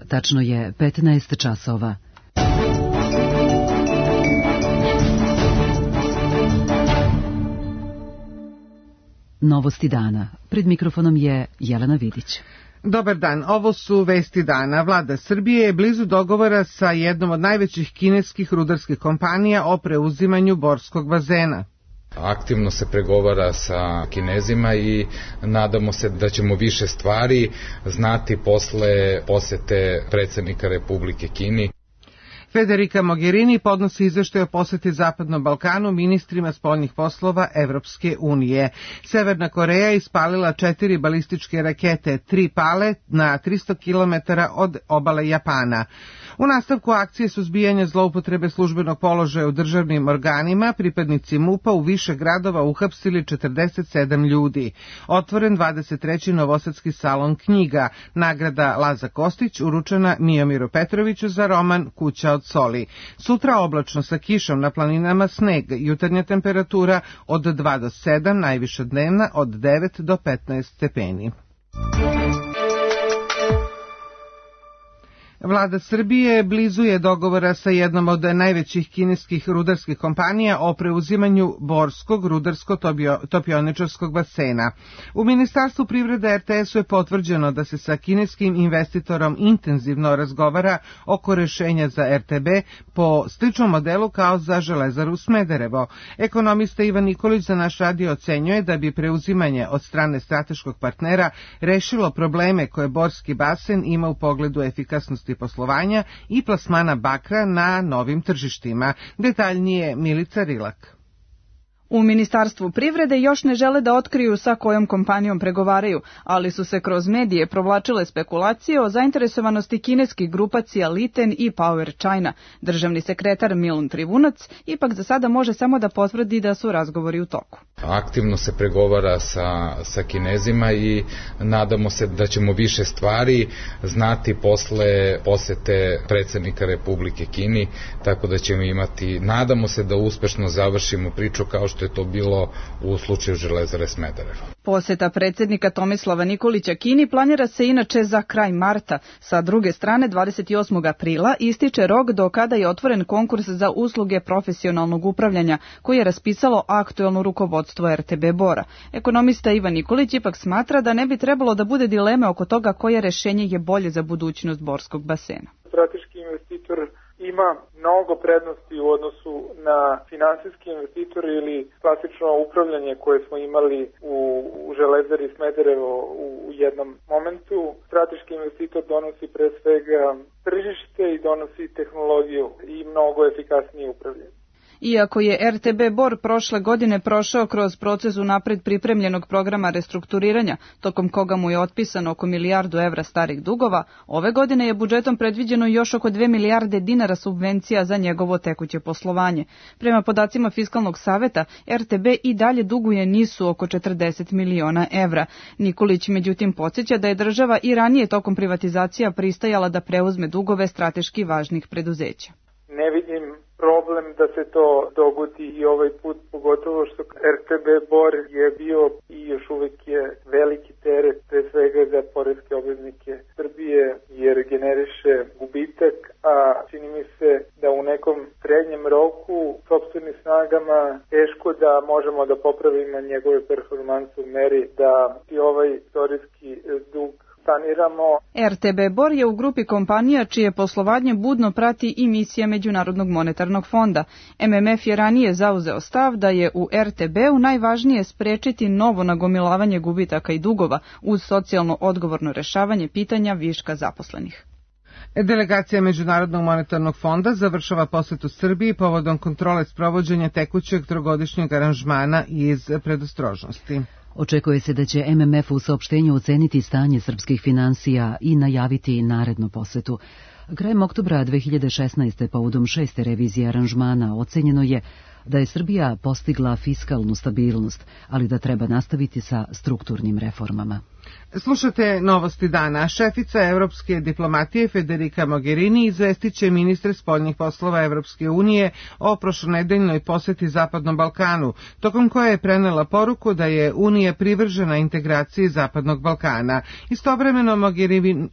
Tačno je 15 časova. Novosti dana. Pred mikrofonom je Jelena Vidić. Dobar dan, ovo su vesti dana. Vlada Srbije je blizu dogovora sa jednom od najvećih kineskih rudarskih kompanija o preuzimanju Borskog bazena. Aktivno se pregovara sa Kinezima i nadamo se da ćemo više stvari znati posle posete predsednika Republike Kini. Federica Mogherini podnosi izveštaj o poseti Zapadnom Balkanu ministrima spoljnih poslova Evropske unije. Severna Koreja ispalila 4 balističke rakete, 3 pale na 300 km od obale Japana. U nastavku akcije suzbijanja zloupotrebe službenog položaja u državnim organima, pripadnici MUP-a u više gradova uhapsili 47 ljudi. Otvoren 23. Novosadski salon knjiga. Nagrada Laza Kostić uručena Mijomiru Petroviću za roman Kuća od soli. Sutra oblačno sa kišom, na planinama sneg, jutarnja temperatura od 2 do 7, najviša dnevna od 9 do 15 stepeni. Vlada Srbije blizu je dogovora sa jednom od najvećih kineskih rudarskih kompanija o preuzimanju Borskog rudarsko-topioničarskog basena. U Ministarstvu privrede RTS-u je potvrđeno da se sa kineskim investitorom intenzivno razgovara oko rešenja za RTB po sličnom modelu kao za Železaru Smederevo. Ekonomista Ivan Nikolić za naš radio ocenjuje da bi preuzimanje od strane strateškog partnera rešilo probleme koje Borski basen ima u pogledu efikasnosti poslovanja i plasmana bakra na novim tržištima. Detaljnije Milica Rilak. U Ministarstvu privrede još ne žele da otkriju sa kojom kompanijom pregovaraju, ali su se kroz medije provlačile spekulacije o zainteresovanosti kineskih grupacija Liten i Power China. Državni sekretar Milun Trivunac ipak za sada može samo da potvrdi da su razgovori u toku. Aktivno se pregovara sa Kinezima i nadamo se da ćemo više stvari znati posle posete predsednika Republike Kini, tako da ćemo imati, nadamo se da uspešno završimo priču kao što je to bilo u slučaju Železare Smederevo. Poseta predsednika Tomislava Nikolića Kini planira se inače za kraj marta. Sa druge strane, 28. aprila ističe rok do kada je otvoren konkurs za usluge profesionalnog upravljanja, koji je raspisalo aktuelno rukovodstvo RTB Bora. Ekonomista Ivan Nikolić ipak smatra da ne bi trebalo da bude dileme oko toga koje rešenje je bolje za budućnost Borskog basena. Strateški investitor ima mnogo prednosti u odnosu na finansijski investitor ili klasično upravljanje koje smo imali u Železari Smederevo u jednom momentu. Strateški investitor donosi pre svega tržište i donosi tehnologiju i mnogo efikasnije upravljanje. Iako je RTB Bor prošle godine prošao kroz proces unapred pripremljenog programa restrukturiranja, tokom koga mu je otpisano oko 1 milijardu evra starih dugova, ove godine je budžetom predviđeno još oko 2 milijarde dinara subvencija za njegovo tekuće poslovanje. Prema podacima Fiskalnog saveta, RTB i dalje duguje NIS-u oko 40 miliona evra. Nikolić međutim podsjeća da je država i ranije tokom privatizacija pristajala da preuzme dugove strateški važnih preduzeća. Ne vidim problem da se to dogodi i ovaj put, pogotovo što RTB Bor je bio i još uvek je veliki teret pre svega za poreske obveznike Srbije jer generiše gubitak, a čini mi se da u nekom srednjem roku sopstvenim snagama teško da možemo da popravimo njegove performanse u meri da i ovaj istorijski dug saniramo. RTB Bor je u grupi kompanija čije poslovanje budno prati i misija Međunarodnog monetarnog fonda. MMF je ranije zauzeo stav da je u RTB-u najvažnije sprečiti novo nagomilavanje gubitaka i dugova uz socijalno odgovorno rešavanje pitanja viška zaposlenih. Delegacija Međunarodnog monetarnog fonda završava posetu Srbiji povodom kontrole sprovođenja tekućeg trogodišnjeg aranžmana iz predostrožnosti. Očekuje se da će MMF u saopštenju oceniti stanje srpskih finansija i najaviti narednu posetu. Krajem oktobra 2016. povodom 6. revizije aranžmana ocenjeno je da je Srbija postigla fiskalnu stabilnost, ali da treba nastaviti sa strukturnim reformama. Slušate Novosti dana. Šefica evropske diplomatije Federica Mogherini izvestiće ministre spoljnih poslova Evropske unije o prošlonedeljnoj poseti Zapadnom Balkanu, tokom koje je prenela poruku da je Unija privržena integraciji Zapadnog Balkana. Istovremeno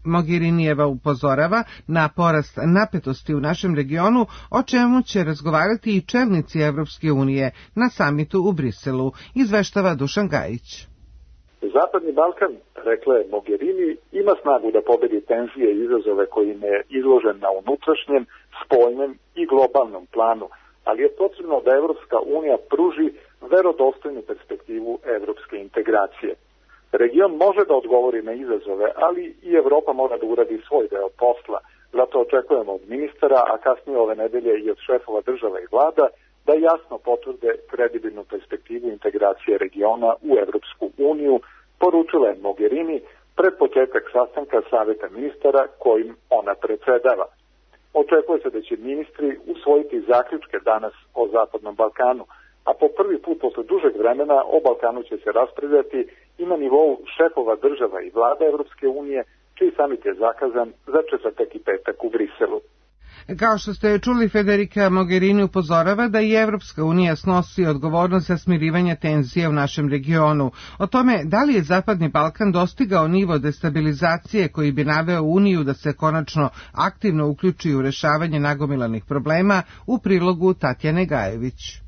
Mogherinijeva upozorava na porast napetosti u našem regionu, o čemu će razgovarati i čelnici Evropske unije na samitu u Briselu, izveštava Dušan Gajić. Zapadni Balkan, rekla je Mogherini, ima snagu da pobedi tenzije i izazove kojim je izložen na unutrašnjem, spoljnem i globalnom planu, ali je potrebno da Evropska unija pruži verodostojnu perspektivu evropske integracije. Region može da odgovori na izazove, ali i Evropa mora da uradi svoj deo posla. Zato očekujemo od ministara, a kasnije ove nedelje i od šefova država i vlada, da jasno potvrde kredibilnu perspektivu integracije regiona u Evropsku uniju, poručila je Mogherini pred početak sastanka Saveta ministara kojim ona predsedava. Očekuje se da će ministri usvojiti zaključke danas o Zapadnom Balkanu, a po prvi put posle dužeg vremena o Balkanu će se raspravljati i na nivou šefova država i vlada Evropske unije, čiji samit je zakazan za četvrtak i petak u Briselu. Kao što ste čuli, Federica Mogherini upozorava da i Evropska unija snosi odgovornost za smirivanje tenzije u našem regionu. O tome da li je Zapadni Balkan dostigao nivo destabilizacije koji bi naveo Uniju da se konačno aktivno uključi u rešavanje nagomilanih problema, u prilogu Tatjane Gajević.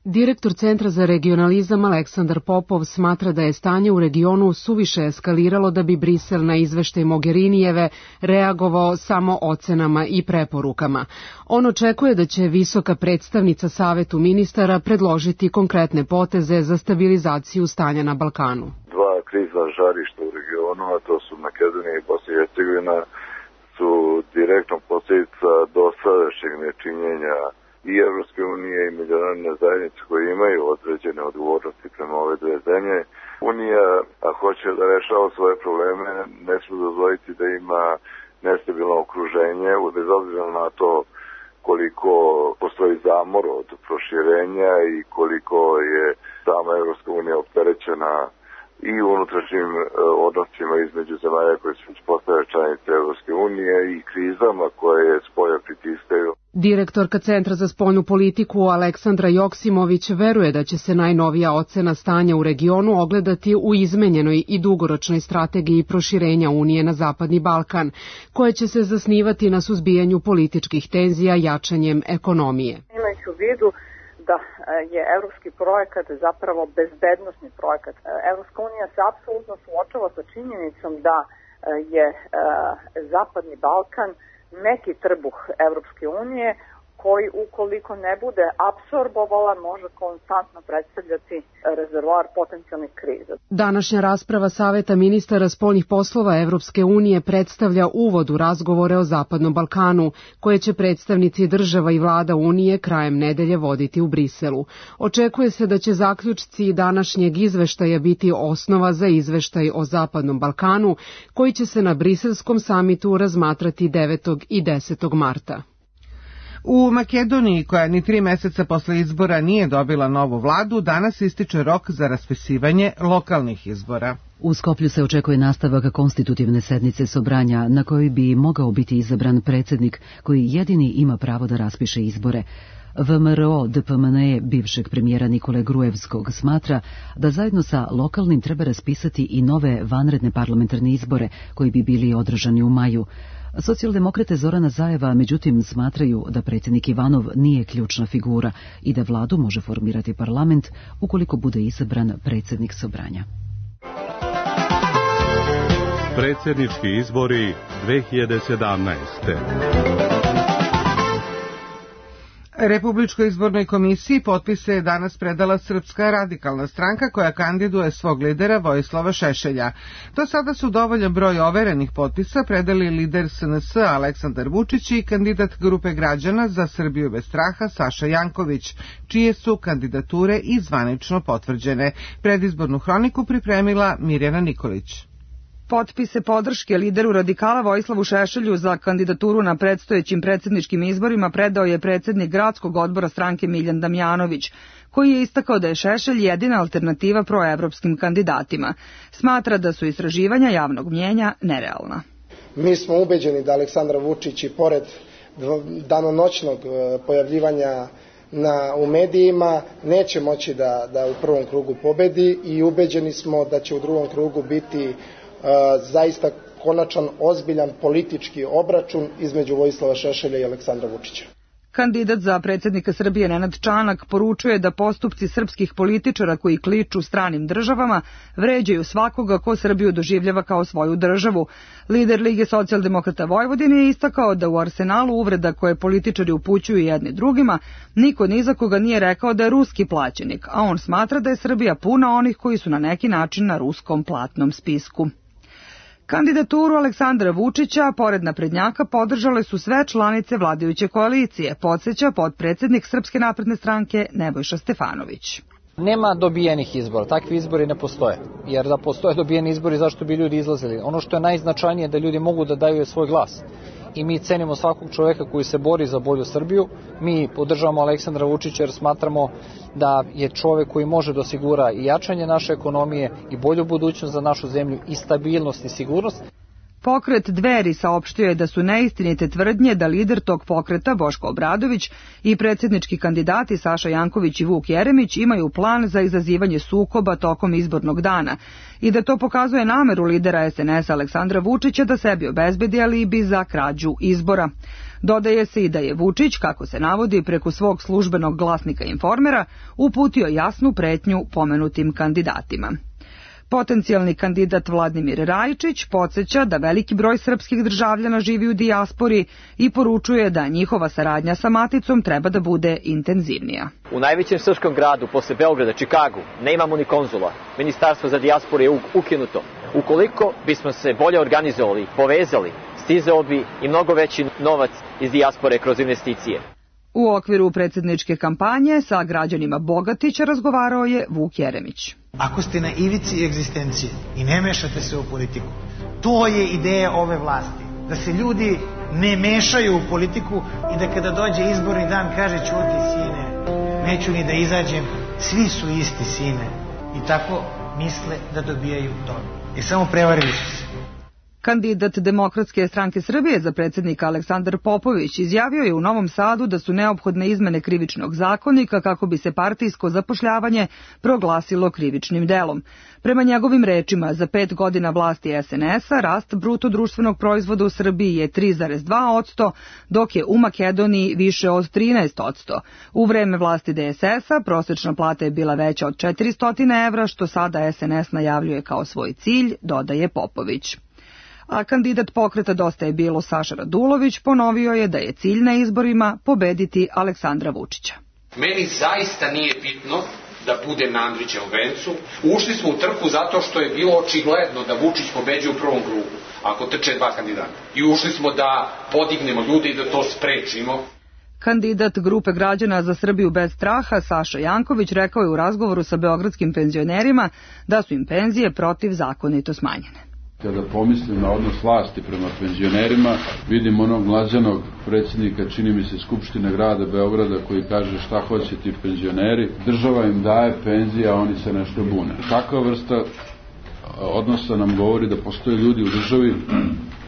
Direktor Centra za regionalizam Aleksandar Popov smatra da je stanje u regionu suviše eskaliralo da bi Brisel na izveštaj Mogherinijeve reagovao samo ocenama i preporukama. On očekuje da će visoka predstavnica Savetu ministara predložiti konkretne poteze za stabilizaciju stanja na Balkanu. Dva krizna žarišta u regionu, a to su Makedonija i Bosna i Hercegovina, su direktno posljedica dosadašnjeg nečinjenja i Evropske unije i međunarodne zajednice koje imaju određene odgovornosti prema ove dve zemlje. Unija, a hoće da rešava svoje probleme, ne smije dozvoliti da ima nestabilno okruženje, bez obzira na to koliko postoji zamor od proširenja i koliko je sama Evropska unija opterećena i unutrašnjim odnosima između zemalja koje su postale članice Evropske unije i krizama koje spolja pritiskaju. Direktorka Centra za spoljnu politiku Aleksandra Joksimović veruje da će se najnovija ocena stanja u regionu ogledati u izmenjenoj i dugoročnoj strategiji proširenja Unije na Zapadni Balkan, koje će se zasnivati na suzbijanju političkih tenzija jačanjem ekonomije. Imajući u vidu da je evropski projekat zapravo bezbednosni projekat. Evropska unija se apsolutno suočava sa činjenicom da je Zapadni Balkan neki trbuh Evropske unije koji ukoliko ne bude apsorbovala može konstantno predstavljati rezervoar potencijalnih kriza. Današnja rasprava Saveta ministara spoljnih poslova Evropske unije predstavlja uvod u razgovore o Zapadnom Balkanu, koje će predstavnici država i vlada Unije krajem nedelje voditi u Briselu. Očekuje se da će zaključci današnjeg izveštaja biti osnova za izveštaj o Zapadnom Balkanu, koji će se na briselskom samitu razmatrati 9. i 10. marta. U Makedoniji, koja ni 3 meseca posle izbora nije dobila novu vladu, danas ističe rok za raspisivanje lokalnih izbora. U Skoplju se očekuje nastavak konstitutivne sednice Sobranja, na kojoj bi mogao biti izabran predsjednik koji jedini ima pravo da raspiše izbore. VMRO DPMNE bivšeg premijera Nikole Gruevskog smatra da zajedno sa lokalnim treba raspisati i nove vanredne parlamentarne izbore koji bi bili održani u maju. Socijaldemokrate Zorana Zajeva međutim smatraju da predsjednik Ivanov nije ključna figura i da vladu može formirati parlament ukoliko bude izabran predsjednik Sobranja. Predsjednički izbori 2017. Republičkoj izbornoj komisiji potpise je danas predala Srpska radikalna stranka koja kandiduje svog lidera Vojislava Šešelja. Do sada su dovoljan broj overenih potpisa predali lider SNS Aleksandar Vučić i kandidat grupe građana za Srbiju bez straha Saša Janković, čije su kandidature i zvanično potvrđene. Predizbornu hroniku pripremila Mirjana Nikolić. Potpise podrške lideru radikala Vojislavu Šešelju za kandidaturu na predstojećim predsjedničkim izborima predao je predsjednik gradskog odbora stranke Miljan Damjanović, koji je istakao da je Šešelj jedina alternativa proevropskim kandidatima. Smatra da su istraživanja javnog mnjenja nerealna. Mi smo ubeđeni da Aleksandar Vučić i pored danonoćnog pojavljivanja u medijima neće moći da u prvom krugu pobedi i ubeđeni smo da će u drugom krugu biti zaista konačan, ozbiljan politički obračun između Vojislava Šešelja i Aleksandra Vučića. Kandidat za predsjednika Srbije Nenad Čanak poručuje da postupci srpskih političara koji kliču stranim državama vređaju svakoga ko Srbiju doživljava kao svoju državu. Lider Lige socijaldemokrata Vojvodine je istakao da u arsenalu uvreda koje političari upućuju jedni drugima, niko ni za koga nije rekao da je ruski plaćenik, a on smatra da je Srbija puna onih koji su na neki način na ruskom platnom spisku. Kandidaturu Aleksandra Vučića, pored naprednjaka, podržale su sve članice vladajuće koalicije, podsjeća potpredsjednik Srpske napredne stranke Nebojša Stefanović. Nema dobijenih izbora, takvi izbori ne postoje, jer da postoje dobijeni izbori zašto bi ljudi izlazili. Ono što je najznačajnije je da ljudi mogu da daju svoj glas. I mi cenimo svakog čoveka koji se bori za bolju Srbiju. Mi podržavamo Aleksandra Vučića jer smatramo da je čovek koji može da osigura i jačanje naše ekonomije i bolju budućnost za našu zemlju i stabilnost i sigurnost. Pokret Dveri saopštio je da su neistinite tvrdnje da lider tog pokreta Boško Obradović i predsjednički kandidati Saša Janković i Vuk Jeremić imaju plan za izazivanje sukoba tokom izbornog dana i da to pokazuje nameru lidera SNS Aleksandra Vučića da sebi obezbedi alibi za krađu izbora. Dodaje se i da je Vučić, kako se navodi preko svog službenog glasnika Informera, uputio jasnu pretnju pomenutim kandidatima. Potencijalni kandidat Vladimir Rajičić podsjeća da veliki broj srpskih državljana živi u dijaspori i poručuje da njihova saradnja sa maticom treba da bude intenzivnija. U najvećem srpskom gradu posle Beograda, Čikagu, ne imamo ni konzula. Ministarstvo za dijasporu je ukinuto. Ukoliko bismo se bolje organizovali, povezali, stizao bi i mnogo veći novac iz dijaspore kroz investicije. U okviru predsjedničke kampanje sa građanima Bogatića razgovarao je Vuk Jeremić. Ako ste na ivici egzistencije i ne mešate se u politiku, to je ideja ove vlasti. Da se ljudi ne mešaju u politiku i da kada dođe izborni dan kaže ćuti sine, neću ni da izađem, svi su isti sine. I tako misle da dobijaju to. I samo prevarili su se. Kandidat Demokratske stranke Srbije za predsjednika Aleksandar Popović izjavio je u Novom Sadu da su neophodne izmene krivičnog zakonika kako bi se partijsko zapošljavanje proglasilo krivičnim delom. Prema njegovim rečima, za 5 godina vlasti SNS-a rast bruto društvenog proizvoda u Srbiji je 3,2%, dok je u Makedoniji više od 13%. U vreme vlasti DSS-a prosječna plata je bila veća od 400 evra, što sada SNS najavljuje kao svoj cilj, dodaje Popović. A kandidat pokreta Dosta je bilo Saša Radulović ponovio je da je cilj na izborima pobediti Aleksandra Vučića. Meni zaista nije bitno da budem na Andrićevom vencu. Ušli smo u trku zato što je bilo očigledno da Vučić pobeđuje u prvom krugu, ako trče dva kandidata. I ušli smo da podignemo ljude i da to sprečimo. Kandidat grupe građana za Srbiju bez straha Saša Janković rekao je u razgovoru sa beogradskim penzionerima da su im penzije protivzakonito smanjene. Kada pomislim na odnos vlasti prema penzionerima, vidim onog mlađanog predsjednika, čini mi se, Skupštine grada Beograda, koji kaže šta hoće ti penzioneri. Država im daje penzije, a oni se nešto bune. Takva vrsta odnosa nam govori da postoje ljudi u državi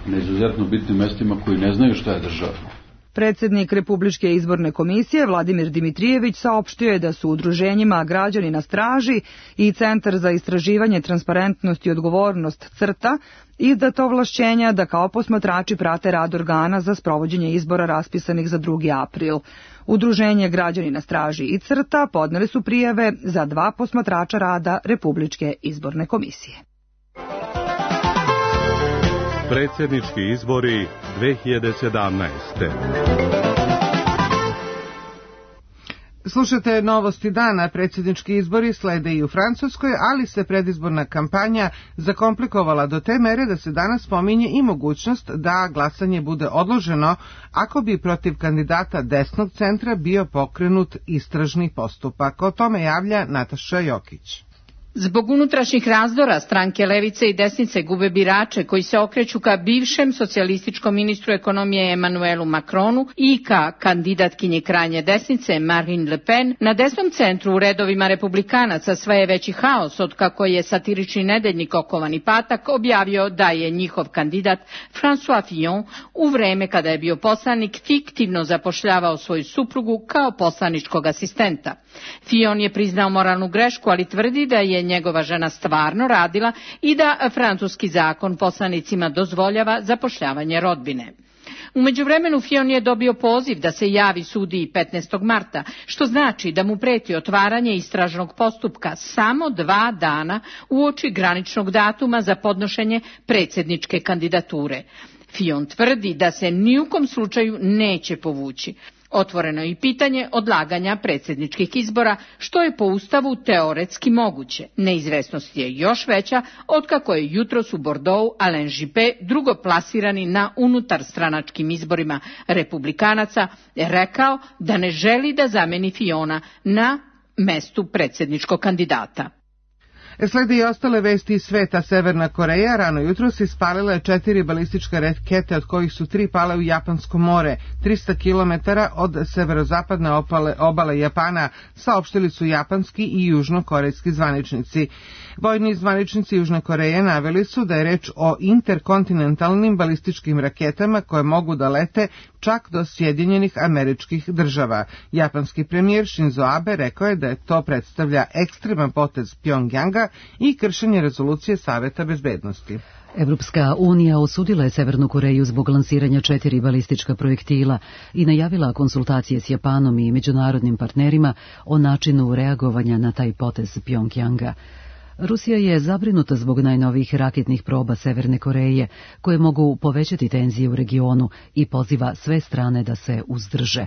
na izuzetno bitnim mestima koji ne znaju šta je država. Predsjednik Republičke izborne komisije Vladimir Dimitrijević saopštio je da su udruženjima Građani na straži i Centar za istraživanje, transparentnost i odgovornost CRTA izdato ovlašćenja da kao posmatrači prate rad organa za sprovođenje izbora raspisanih za 2. april. Udruženje Građani na straži i CRTA podneli su prijave za 2 posmatrača rada Republičke izborne komisije. Predsjednički izbori 2017. Slušate Novosti dana. Predsjednički izbori slede i u Francuskoj, ali se predizborna kampanja zakomplikovala do te mere da se danas pominje i mogućnost da glasanje bude odloženo ako bi protiv kandidata desnog centra bio pokrenut istražni postupak. O tome javlja Nataša Jokić. Zbog unutrašnjih razdora stranke levice i desnice gube birače koji se okreću ka bivšem socijalističkom ministru ekonomije Emmanuelu Macronu i ka kandidatkinji krajnje desnice Marine Le Pen. Na desnom centru u redovima republikanaca sve je veći haos od kako je satirični nedeljnik Okovani patak objavio da je njihov kandidat François Fillon u vreme kada je bio poslanik fiktivno zapošljavao svoju suprugu kao poslaničkog asistenta. Fillon je priznao moralnu grešku, ali tvrdi da je njegova žena stvarno radila i da francuski zakon poslanicima dozvoljava zapošljavanje rodbine. U međuvremenu Fillon je dobio poziv da se javi sudiji 15. marta, što znači da mu preti otvaranje istražnog postupka samo 2 dana uoči graničnog datuma za podnošenje predsjedničke kandidature. Fillon tvrdi da se ni u kom slučaju neće povući. Otvoreno je i pitanje odlaganja predsjedničkih izbora, što je po Ustavu teoretski moguće. Neizvesnost je još veća otkako je jutros u Bordeaux Alain Juppé, drugoplasirani na unutarstranačkim izborima republikanaca, rekao da ne želi da zameni Fillona na mestu predsjedničkog kandidata. Slede i ostale vesti iz sveta. Severna Koreja rano jutros ispalila je 4 balističke rakete, od kojih su 3 pale u Japansko more, 300 km od severozapadne obale Japana, saopštili su japanski i južnokorejski zvaničnici. Vojni zvaničnici Južne Koreje naveli su da je reč o interkontinentalnim balističkim raketama koje mogu da lete čak do Sjedinjenih Američkih Država. Japanski premijer Shinzo Abe rekao je da je to predstavlja ekstreman potez Pjongjanga i kršenje rezolucije Saveta bezbednosti. Evropska unija osudila je Severnu Koreju zbog lansiranja 4 balistička projektila i najavila konsultacije s Japanom i međunarodnim partnerima o načinu reagovanja na taj potez Pjongjanga. Rusija je zabrinuta zbog najnovijih raketnih proba Severne Koreje, koje mogu povećati tenzije u regionu i poziva sve strane da se uzdrže.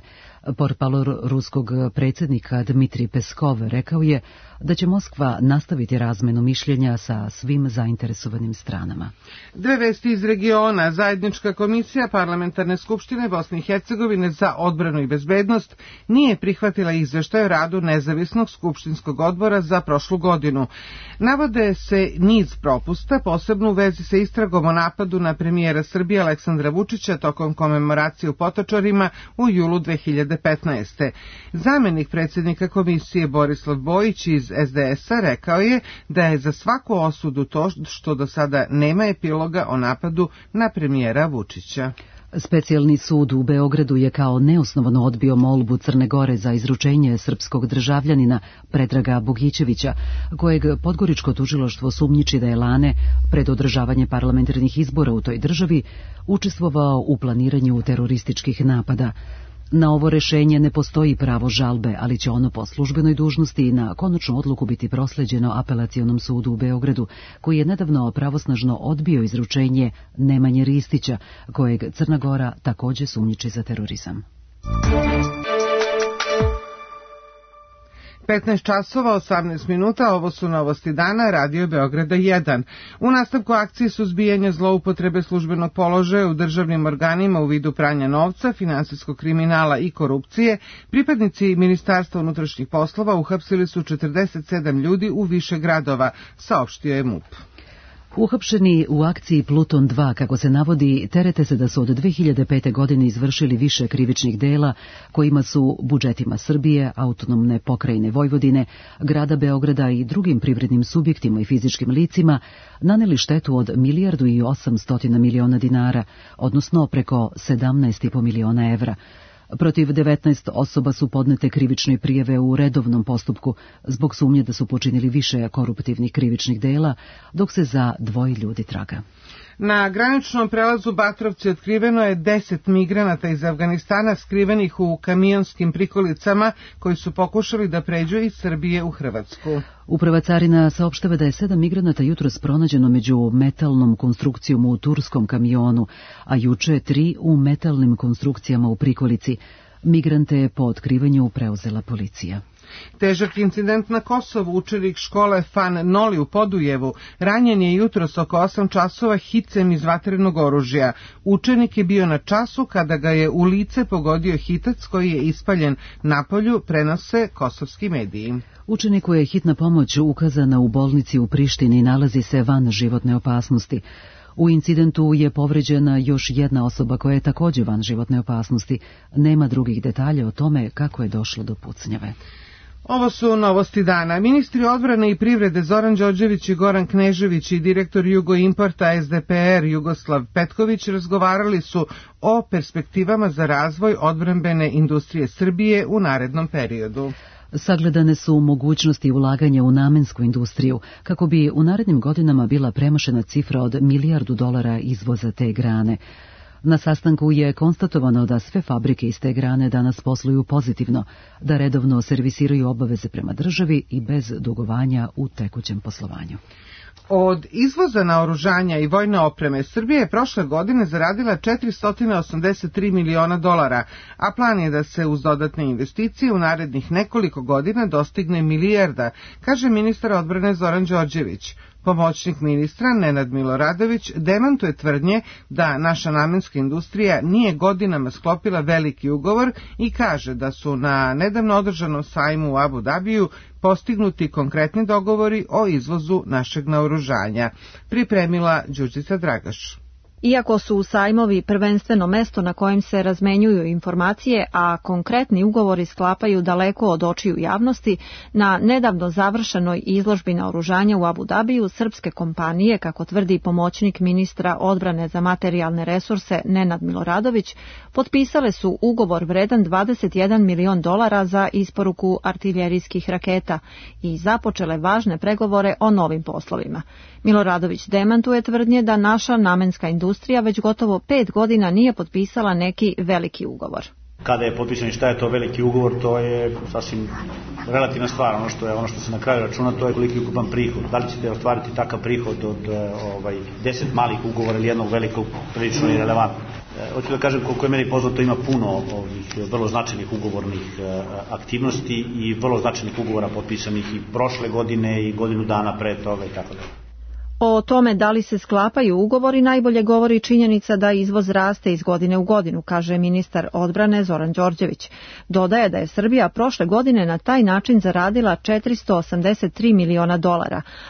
Portparol ruskog predsjednika Dmitrij Peskov rekao je da će Moskva nastaviti razmenu mišljenja sa svim zainteresovanim stranama. 2 vesti iz regiona. Zajednička komisija Parlamentarne skupštine Bosne i Hercegovine za odbranu i bezbednost nije prihvatila izveštaj o radu nezavisnog skupštinskog odbora za prošlu godinu. Navode se niz propusta, posebno u vezi sa istragom o napadu na premijera Srbije Aleksandra Vučića tokom komemoracije u Potočarima u julu 2015. Zamenik predsjednika komisije Borislav Bojić iz SDS-a rekao je da je za svaku osudu to što do sada nema epiloga o napadu na premijera Vučića. Specijalni sud u Beogradu je kao neosnovano odbio molbu Crne Gore za izručenje srpskog državljanina Predraga Bogićevića, kojeg Podgoričko tužilaštvo sumnjiči da je lane pred održavanje parlamentarnih izbora u toj državi učestvovao u planiranju terorističkih napada. Na ovo rešenje ne postoji pravo žalbe, ali će ono po službenoj dužnosti na konačnu odluku biti prosleđeno Apelacionom sudu u Beogradu, koji je nedavno pravosnažno odbio izručenje Nemanje Ristića, kojeg Crna Gora također sumnjiči za terorizam. 15 časova, 18 minuta, ovo su novosti dana, Radio Beograda 1. U nastavku akcije suzbijanja zloupotrebe službenog položaja u državnim organima u vidu pranja novca, finansijskog kriminala i korupcije, pripadnici Ministarstva unutrašnjih poslova uhapsili su 47 ljudi u više gradova, saopštio je MUP. Uhapšeni u akciji Pluton 2, kako se navodi, terete se da su od 2005. godine izvršili više krivičnih dela kojima su budžetima Srbije, autonomne pokrajine Vojvodine, grada Beograda i drugim privrednim subjektima i fizičkim licima naneli štetu od 1.800.000.000 dinara, odnosno preko 17,5 miliona evra. Protiv 19 osoba su podnete krivične prijave u redovnom postupku zbog sumnje da su počinili više koruptivnih krivičnih dela, dok se za 2 ljudi traga. Na graničnom prelazu Batrovci otkriveno je 10 migranata iz Afganistana skrivenih u kamionskim prikolicama koji su pokušali da pređu iz Srbije u Hrvatsku. Uprava carina saopštava da je 7 migranata jutros pronađeno među metalnom konstrukcijom u turskom kamionu, a juče 3 u metalnim konstrukcijama u prikolici. Migrante po otkrivanju preuzela policija. Težak incident na Kosovu. Učenik škole Fan Noli u Podujevu ranjen je jutros oko 8 časova hicem iz vatrenog oružja. Učenik je bio na času kada ga je u lice pogodio hitac koji je ispaljen napolju, prenose kosovski mediji. Učeniku je hitna pomoć ukazana u bolnici u Prištini i nalazi se van životne opasnosti. U incidentu je povređena još jedna osoba koja je također van životne opasnosti. Nema drugih detalja o tome kako je došlo do pucnjave. Ovo su novosti dana. Ministri odbrane i privrede Zoran Đorđević i Goran Knežević i direktor Jugoimporta SDPR Jugoslav Petković razgovarali su o perspektivama za razvoj odbrambene industrije Srbije u narednom periodu. Sagledane su mogućnosti ulaganja u namensku industriju, kako bi u narednim godinama bila premašena cifra od $1 milijardu izvoza te grane. Na sastanku je konstatovano da sve fabrike iz te grane danas posluju pozitivno, da redovno servisiraju obaveze prema državi i bez dugovanja u tekućem poslovanju. Od izvoza naoružanja i vojne opreme Srbija je prošle godine zaradila $483 miliona, a plan je da se uz dodatne investicije u narednih nekoliko godina dostigne milijarda, kaže ministar odbrane Zoran Đorđević. Pomoćnik ministra Nenad Miloradović demantuje tvrdnje da naša namenska industrija nije godinama sklopila veliki ugovor i kaže da su na nedavno održanom sajmu u Abu Dabiju postignuti konkretni dogovori o izvozu našeg naoružanja. Pripremila Đurđica Dragaš. Iako su sajmovi prvenstveno mesto na kojem se razmenjuju informacije, a konkretni ugovori sklapaju daleko od očiju javnosti, na nedavno završenoj izložbi naoružanja u Abu Dabiju srpske kompanije, kako tvrdi pomoćnik ministra odbrane za materijalne resurse Nenad Miloradović, potpisale su ugovor vredan $21 milion za isporuku artiljerijskih raketa i započele važne pregovore o novim poslovima. Miloradović demantuje tvrdnje da naša namenska industrija već gotovo 5 godina nije potpisala neki veliki ugovor. Kada je potpisan i šta je to veliki ugovor, to je sasvim relativna stvar. Ono što se na kraju računa, to je koliki ukupan prihod. Da li ćete ostvariti takav prihod od 10 malih ugovora ili jednog velikog, prilično irelevantno. Hoću da kažem, koliko je meni poznato, ima puno ovih vrlo značajnih ugovornih aktivnosti i vrlo značajnih ugovora potpisanih i prošle godine i godinu dana pre toga i tako dalje. O tome da li se sklapaju ugovori najbolje govori činjenica da izvoz raste iz godine u godinu, kaže ministar odbrane Zoran Đorđević. Dodaje da je Srbija prošle godine na taj način zaradila $483 miliona,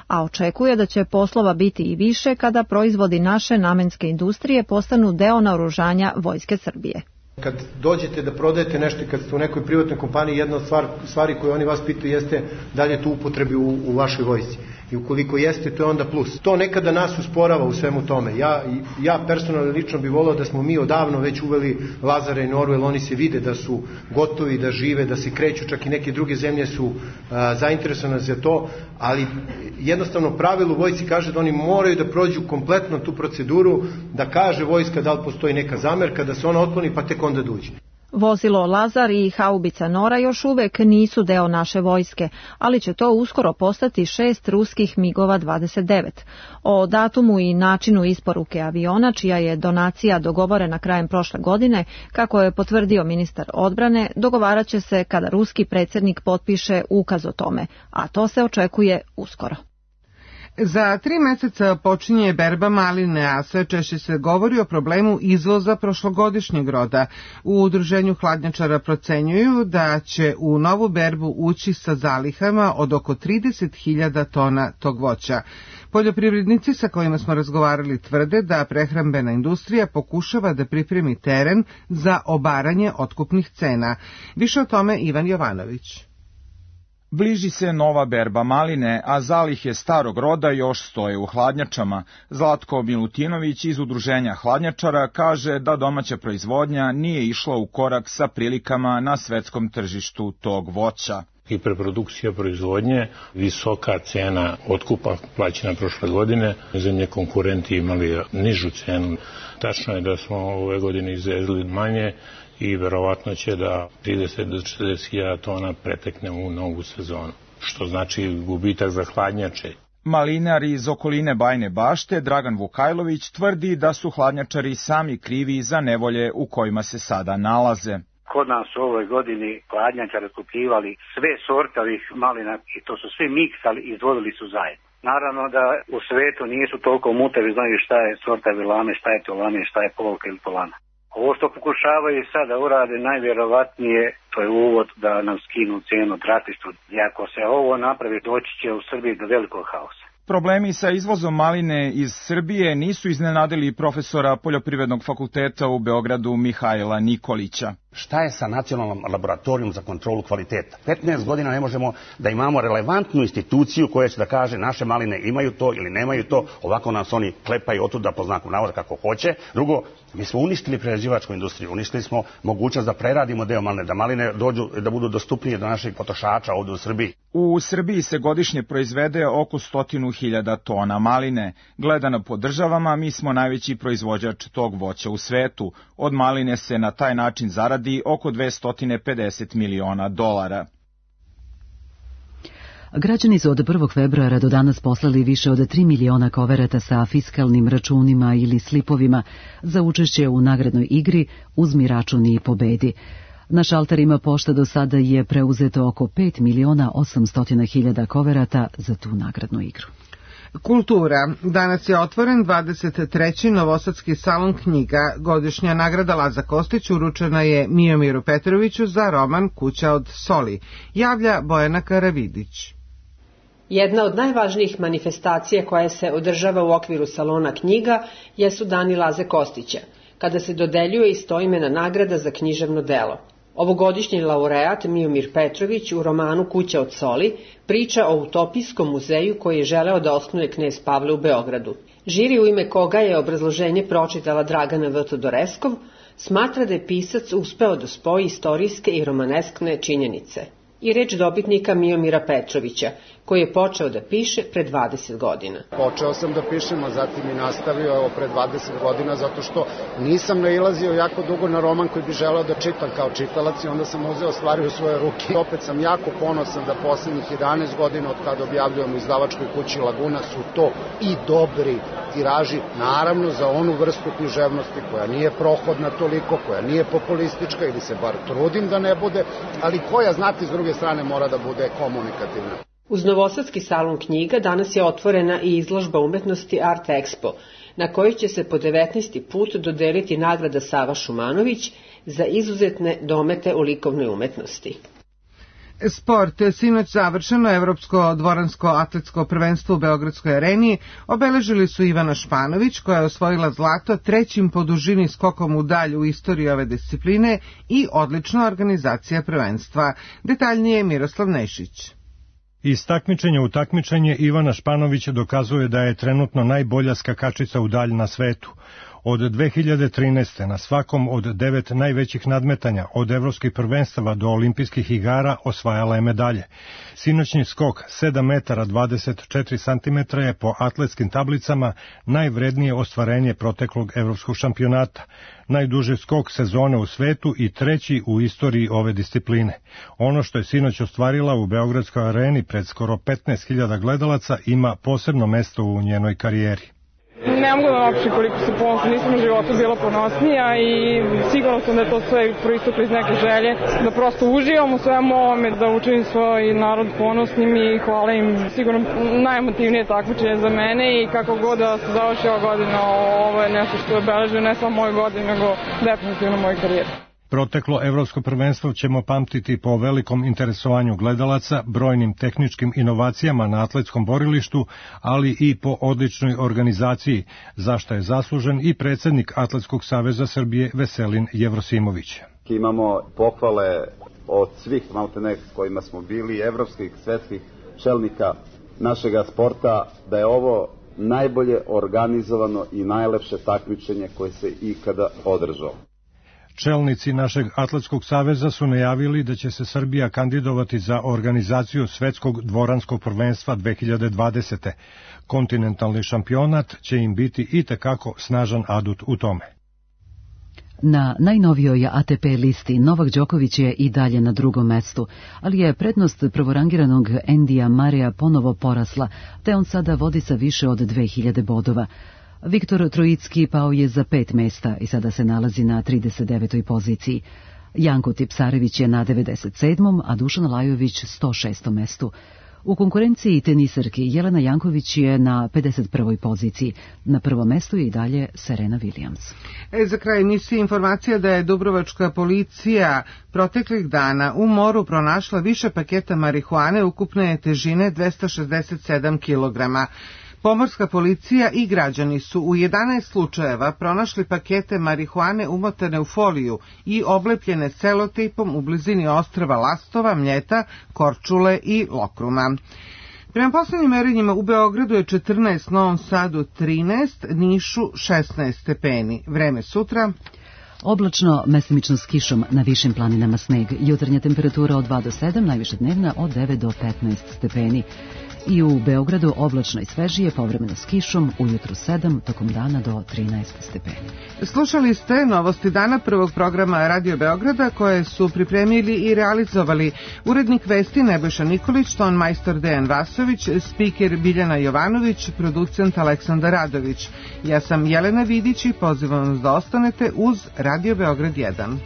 a očekuje da će poslova biti i više kada proizvodi naše namenske industrije postanu deo naoružanja Vojske Srbije. Kad dođete da prodajete nešto, kad ste u nekoj privatnoj kompaniji, jedna od stvari koje oni vas pitaju jeste da li je to upotrebi u vašoj vojsci. I ukoliko jeste, to je onda plus. To nekada nas usporava u svemu tome. Ja personalno lično bih voleo da smo mi odavno već uveli Lazara i Norvel, oni se vide da su gotovi, da žive, da se kreću, čak i neke druge zemlje su zainteresovane za to, ali jednostavno pravilo u vojsci kaže da oni moraju da prođu kompletno tu proceduru, da kaže vojska da li postoji neka zamerka, da se ona otkloni, pa tek onda dođe. Vozilo Lazar i haubica Nora još uvek nisu deo naše vojske, ali će to uskoro postati 6 ruskih MiG-ova 29. O datumu i načinu isporuke aviona, čija je donacija dogovorena krajem prošle godine, kako je potvrdio ministar odbrane, dogovarat će se kada ruski predsjednik potpiše ukaz o tome, a to se očekuje uskoro. Za 3 meseca počinje berba maline, a sve češće se govori o problemu izvoza prošlogodišnjeg roda. U udruženju hladnjačara procenjuju da će u novu berbu ući sa zalihama od oko 30.000 tona tog voća. Poljoprivrednici sa kojima smo razgovarali tvrde da prehrambena industrija pokušava da pripremi teren za obaranje otkupnih cena. Više o tome Ivan Jovanović. Bliži se nova berba maline, a zalihe starog roda još stoje u hladnjačama. Zlatko Milutinović iz udruženja hladnjačara kaže da domaća proizvodnja nije išla u korak sa prilikama na svetskom tržištu tog voća. Hiperprodukcija proizvodnje, visoka cena otkupa plaćena prošle godine, zemlje konkurenti imali nižu cenu. Tačno je da smo ove godine izvezli manje i verovatno će da 30 do 40.000 tona pretekne u novu sezonu, što znači gubitak za hladnjače. Malinar iz okoline Bajne Bašte, Dragan Vukajlović, tvrdi da su hladnjačari sami krivi za nevolje u kojima se sada nalaze. Kod nas u ovoj godini hladnjačari otkupljivali sve sorte ovih malina i to su svi miksali i izvodili su zajedno. Naravno da u svetu nisu toliko mutavi, znaju šta je sorta vilame, šta je tolane, šta je polka ili polana. Ovo što pokušavaju sada urade najvjerovatnije, to je uvod da nam skinu cijenu drastično. I ako se ovo napravi, doći će u Srbiji do velikog haosa. Problemi sa izvozom maline iz Srbije nisu iznenadili profesora Poljoprivrednog fakulteta u Beogradu Mihajla Nikolića. Šta je sa Nacionalnom laboratorijom za kontrolu kvaliteta? 15 godina ne možemo da imamo relevantnu instituciju koja će da kaže naše maline imaju to ili nemaju to, ovako nas oni klepaju otuda po znaku navoda kako hoće. Drugo, mi smo uništili prerađivačku industriju, uništili smo mogućnost da preradimo deo maline, da maline dođu, da budu dostupnije do naših potrošača ovdje u Srbiji. U Srbiji se godišnje proizvede oko 100.000 tona maline. Gledano po državama, mi smo najveći proizvođač tog voća u svetu. Od maline se na taj način zaradi oko $250 miliona. Građani su od 1. februara do danas poslali više od 3 miliona koverata sa fiskalnim računima ili slipovima za učešće u nagradnoj igri Uzmi račun i pobedi. Na šalterima pošta do sada je preuzeto oko 5.800.000 koverata za tu nagradnu igru. Kultura. Danas je otvoren 23. Novosadski salon knjiga. Godišnja nagrada Laza Kostić uručena je Mijomiru Petroviću za roman Kuća od soli. Javlja Bojana Karavidić. Jedna od najvažnijih manifestacija koja se održava u okviru salona knjiga jesu Dani Laze Kostića, kada se dodeljuje istoimena nagrada za književno delo. Ovogodišnji laureat Mijomir Petrović u romanu Kuća od soli priča o utopijskom muzeju koji je želeo da osnuje knez Pavle u Beogradu. Žiri, u ime koga je obrazloženje pročitala Dragana V. Todoreskov, smatra da je pisac uspeo da spoji istorijske i romaneskne činjenice. I reč dobitnika Mijomira Petrovića, koji je počeo da piše pre 20 godina. Počeo sam da pišem, a zatim i nastavio evo pre 20 godina, zato što nisam nailazio jako dugo na roman koji bi želeo da čitam kao čitalac i onda sam uzeo stvari u svoje ruke. Opet sam jako ponosan da poslednjih 11 godina od kada objavljujem u izdavačkoj kući Laguna su to i dobri tiraži, naravno za onu vrstu književnosti koja nije prohodna toliko, koja nije populistička ili se bar trudim da ne bude, ali koja, znate, s druge strane mora da bude komunikativna. Uz Novosadski salon knjiga danas je otvorena i izložba umetnosti Art Expo, na kojoj će se po 19. put dodeliti nagrada Sava Šumanović za izuzetne domete u likovnoj umetnosti. Sport. Sinoć završeno Evropsko dvoransko atletsko prvenstvo u Beogradskoj areni obeležili su Ivana Španović, koja je osvojila zlato 3. po dužini skokom u dalj u istoriji ove discipline i odlična organizacija prvenstva. Detaljnije Miroslav Nešić. Iz takmičenja u takmičenje Ivana Španović dokazuje da je trenutno najbolja skakačica u dalj na svetu. Od 2013. na svakom od 9 najvećih nadmetanja, od evropskih prvenstava do olimpijskih igara, osvajala je medalje. Sinoćni skok 7 metara 24 cm je po atletskim tablicama najvrednije ostvarenje proteklog evropskog šampionata. Najduži skok sezone u svetu i 3. u istoriji ove discipline. Ono što je sinoć ostvarila u Beogradskoj areni pred skoro 15.000 gledalaca ima posebno mesto u njenoj karijeri. Ne mogu da opšte koliko se ponosna, nisam u životu bila ponosnija i sigurno sam da je to sve proisteklo iz neke želje, da prosto uživam u svemu ovome, da učinim svoj narod ponosnim i hvala im. Sigurno najemotivnije takmičenje za mene i kako god da se završi ova godina, ovo je nešto što je obeležio ne samo moju godinu, nego definitivno moju karijeru. Proteklo evropsko prvenstvo ćemo pamtiti po velikom interesovanju gledalaca, brojnim tehničkim inovacijama na atletskom borilištu, ali i po odličnoj organizaciji, za što je zaslužen i predsjednik Atletskog saveza Srbije Veselin Jevrosimović. Imamo pohvale od svih maltene kojima smo bili, evropskih, svetskih čelnika našega sporta, da je ovo najbolje organizovano i najlepše takmičenje koje se ikada održalo. Čelnici našeg Atletskog saveza su najavili da će se Srbija kandidovati za organizaciju Svetskog dvoranskog prvenstva 2020. Kontinentalni šampionat će im biti itekako snažan adut u tome. Na najnovijoj ATP listi Novak Đoković je i dalje na drugom mestu, ali je prednost prvorangiranog Endija Mareja ponovo porasla, te on sada vodi sa više od 2000 bodova. Viktor Trojicki pao je za 5 mesta i sada se nalazi na 39. poziciji. Janko Tipsarević je na 97. a Dušan Lajović 106. mestu. U konkurenciji tenisarki Jelena Janković je na 51. poziciji. Na prvom mestu je i dalje Serena Williams. Za kraj emisije informacija da je dubrovačka policija proteklih dana u moru pronašla više paketa marihuane ukupne težine 267 kilograma. Pomorska policija i građani su u 11 slučajeva pronašli pakete marihuane umotane u foliju i oblepljene celotejpom u blizini ostrva Lastova, Mljeta, Korčule i Lokruma. Prema poslednjim merenjima u Beogradu je 14, Novom Sadu 13, Nišu 16 stepeni. Vreme sutra... Oblačno, mestimično s kišom, na višim planinama sneg. Jutarnja temperatura od 2 do 7, najviše dnevna od 9 do 15 stepeni. I u Beogradu oblačno i svežije, povremeno s kišom, ujutru 7, tokom dana do 13 stepeni. Slušali ste novosti dana prvog programa Radio Beograda koje su pripremili i realizovali urednik vesti Nebojša Nikolić, ton majstor Dejan Vasović, spiker Biljana Jovanović, producent Aleksandar Radović. Ja sam Jelena Vidić i pozivam vas da ostanete uz Radio Beograd 1.